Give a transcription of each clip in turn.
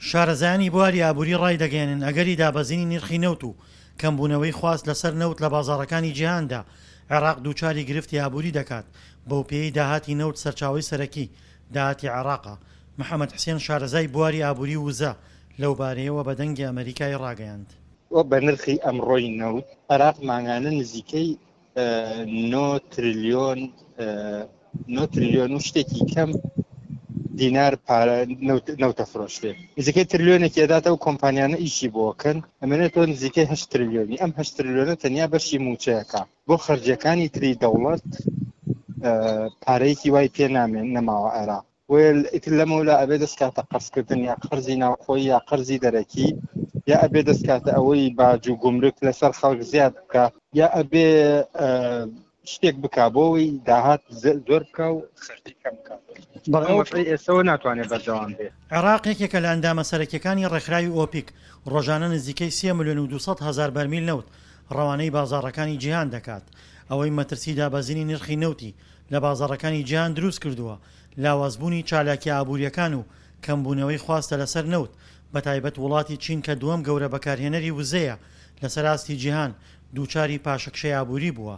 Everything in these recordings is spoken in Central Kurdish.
شارەزایانی بواری ئابووری ڕایدەگەیەنن، ئەگەری دابەزینی نرخی نەوت و کەمبوونەوەی خواست لەسەر نەوت لە بازاڕەکانی جیهاندا، عێراق دووچاری گرفتی ئابووری دەکات، بەوپێیەی داهاتی نەوت سەرچاوەی سەرەکی داهاتی عێراقە. محەمەد حسێن شارەزای بواری ئابووری و وزە لەوبارەیەوە بە دەنگی ئەمەریکای ڕاگەیاند. بە نرخی ئەمڕۆی نەوت، عێراق مانگانە نزیکەی نۆ ترلیۆن نۆ ترلیۆن و شتێکی کەم دینار پارە نەوتە فرۆشتێ نزیکەی ترلیۆنێکی ئەداتە و کۆمپانیانە ئیشی بۆکەن ئەمێنێتەوە نزیکەی هە ترلیۆنی ئەم هە ترلیۆنە تەنیا بەشی موچەیەەکە بۆ خەرجەکانی تری دەوڵەت پارەیەکی وای پێ نامێن نەماوە عێراق بۆیە ئیتر لەمەولا ئەبێ دەست کاتە قەرزکردن یا قەرزی ناوخۆیی یا قەرزی دەرەکی یا ئەبێ دەست کاتە ئەوەی باج و گومرک لەسەر خەڵک زیاد بکا یا ئەبێ شتێک بکا بۆ ئەوەی داهات زۆر بکا و خەرجی کەم بکا. بەڵێ ئەو وەزعەی ئێستەوە ناتوانێ بەردەوام بێ. عێراق یەکێکە لە ئەندامە سەرەکییەکانی ڕێکخراوی ئۆپیک، ڕۆژانە نزیکەی سێ ملیۆن و 200 هەزار بەرمیل نەوت ڕەوانەی بازاڕەکانی جیهان دەکات، ئەوەی مەترسی دابەزینی نرخی نەوتی لە بازاڕەکانی جیهان دروستکردووە، لاوازبوونی چالاکییە ئابوورییەکان و کەمبوونەوەی خواستە لەسەر نەوت، بەتایبەت وڵاتی چین کە دووەم گەورە بەکارهێنەری وزەیە لەسەر ئاستی جیهان، دووچاری پاشەکشەی ئابووری بووە.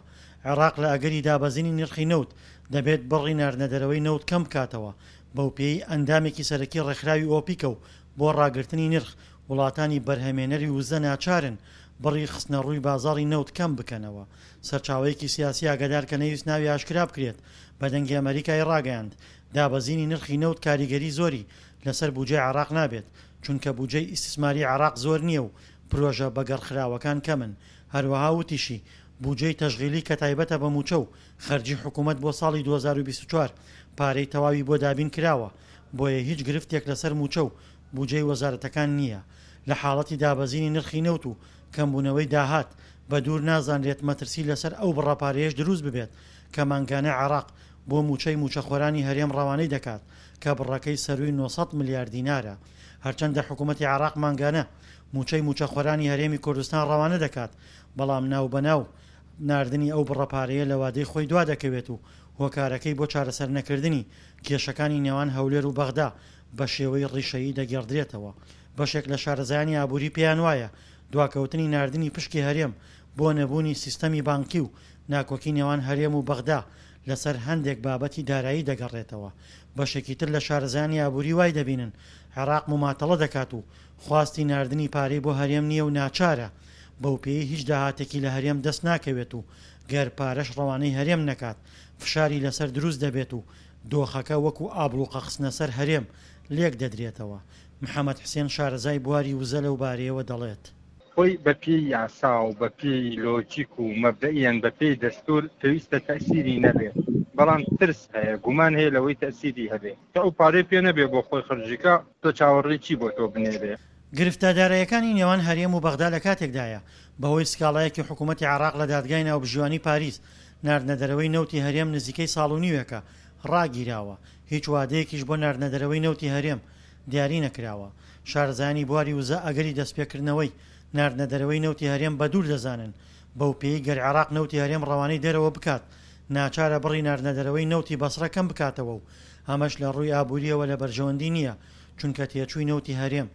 عێراق لە ئەگەری دابەزینی نرخی نەوت، دەبێت بڕی ناردنەدەرەوەی نەوت کەمبکاتەوە، بەوپێیەی ئەندامێکی سەرەکی ڕێکخراوی ئۆپیکە و بۆ ڕاگرتنی نرخ، وڵاتانی بەرهەمێنەری وزە ناچارن بڕی خستنەڕووی بازاڕی نەوت کەمبکەنەوە. سەرچاوەیەکی سیاسی ئاگادار کە نەیویست ناوی ئاشکرا بکرێت بە دەنگی ئەمەریکای ڕاگەیاند، دابەزینی نرخی نەوت کاریگەری زۆری لەسەر بوجەی عێراق نابێت، چونکە بوجەی ئیستسماری عێراق زۆر نییە و پرۆژە بەگەڕخراوەکان کەمن. هەروەها وتیشی، بوجەی تەشغیلی کە تایبەتە بە موچە و خەرجی حکومەت بۆ ساڵی 2024 پارەی تەواوی بۆ دابین کراوە، بۆیە هیچ گرفتێک لەسەر موچە و بوجەی وەزارەتەکان نییە. لە حاڵەتی دابەزینی نرخی نەوت و کەمبوونەوەی داهات، بە دوور نازانرێت مەترسی لەسەر ئەو بڕە پارەیەش دروست ببێت کە مانگانە عێراق بۆ مووچەی مووچەخۆرانی هەرێم ڕەوانەی دەکات کە بڕەکەی سەرووی 900 ملیار دینارە. هەرچەندە حکوومەتی عێراق مانگانە مووچەی مووچەخۆرانی هەرێمی کوردستان ڕەوانە دەکات، بەڵام ناوبەناو ناردنی ئەو بڕە پارەیە لە وادەی خۆی دوا دەکەوێت و هۆکارەکەی بۆ چارەسەرنەکردنی کێشەکانی نێوان هەولێر و بەغدا بە شێوەی ڕیشەیی دەگێڕدرێتەوە. بەشێک لە شارەزایانی ئابووری پێیان وایە دواکەوتنی ناردنی پشکی هەرێم بۆ نەبوونی سیستەمی بانکی و ناکۆکی نێوان هەرێم و بەغدا لەسەر هەندێک بابەتی دارایی دەگەڕێتەوە. بەشێکی تر لە شارەزایانی ئابووری وای دەبینن عێراق موماتەڵە دەکات و خواستی ناردنی پارەی بۆ هەرێم نییە و ناچارە بەوپێیەی هیچ داهاتێکی لە هەرێم دەست ناکەوێت و گەر پارەش ڕەوانەی هەرێم نەکات فشاری لەسەر دروست دەبێت و دۆخەکە وەکو ئابڵوقە خستنە سەر هەرێم لێک دەدرێتەوە. محەمەد حسێن شارەزای بواری وزە لەو بارەیەوە دەڵێت. خۆی بە پێی یاسا و بە پێی لۆجیک و مەبدەئیەن بە پێی دەستوور پێویستە تەئسیری نەبێ، بەڵام ترس هەیە، گومان هەیە لەوەی تەئسیری هەبێ. کە ئەو پارەی پێ نەبێ بۆ خۆی خەرجی کا، تۆ چاوەڕێی چی بۆ تۆ بنێرێ؟ گرفتە داراییەکانی نێوان هەرێم و بەغدا لە کاتێکدایە، بەهۆی سکاڵایەکی حکوومەتی عێراق لە دادگای ناوبژیوانی پاریس، ناردنەدەرەوەی نەوتی هەرێم نزیکەی ساڵ و نیوێکە ڕاگیراوە، هیچ وادەیەکیش بۆ ناردنەدەرەوەی نەوتی هەرێم دیاری نەکراوە. شارەزایانی بواری وزە ئەگەری دەستپێکردنەوەی ناردنەدەرەوەی نەوتی هەرێم بە دوور دەزانن، بەوپێیەی گەر عێراق نەوتی هەرێم ڕەوانەی دەرەوە بکات، ناچارە بڕی ناردنەدەرەوەی نەوتی بەسڕە کەم بکاتەوە و ئەمەش لە ڕووی ئابوورییەوە لە بەرژەوەندی نییە، چونکە تێچووی نەوتی هەرێم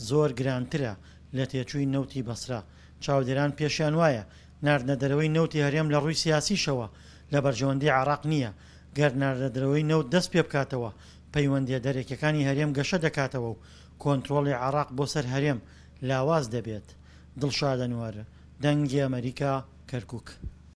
زۆر گرانترە لە تێچووی نەوتی بەسرە. چاودێران پێشیان وایە ناردنەدەرەوەی نەوتی هەرێم لە ڕووی سیاسیشەوە لە بەرژەوەندی عێراق نییە، گەر ناردنەدەرەوەی نەوت دەست پێبکاتەوە پەیوەندییە دەرەکیەکانی هەرێم گەشە دەکاتەوە و کۆنترۆڵی عێراق بۆ سەر هەرێم لاواز دەبێت. دڵشاد ئەنوەر، دەنگی ئەمەریکا، کەرکوک.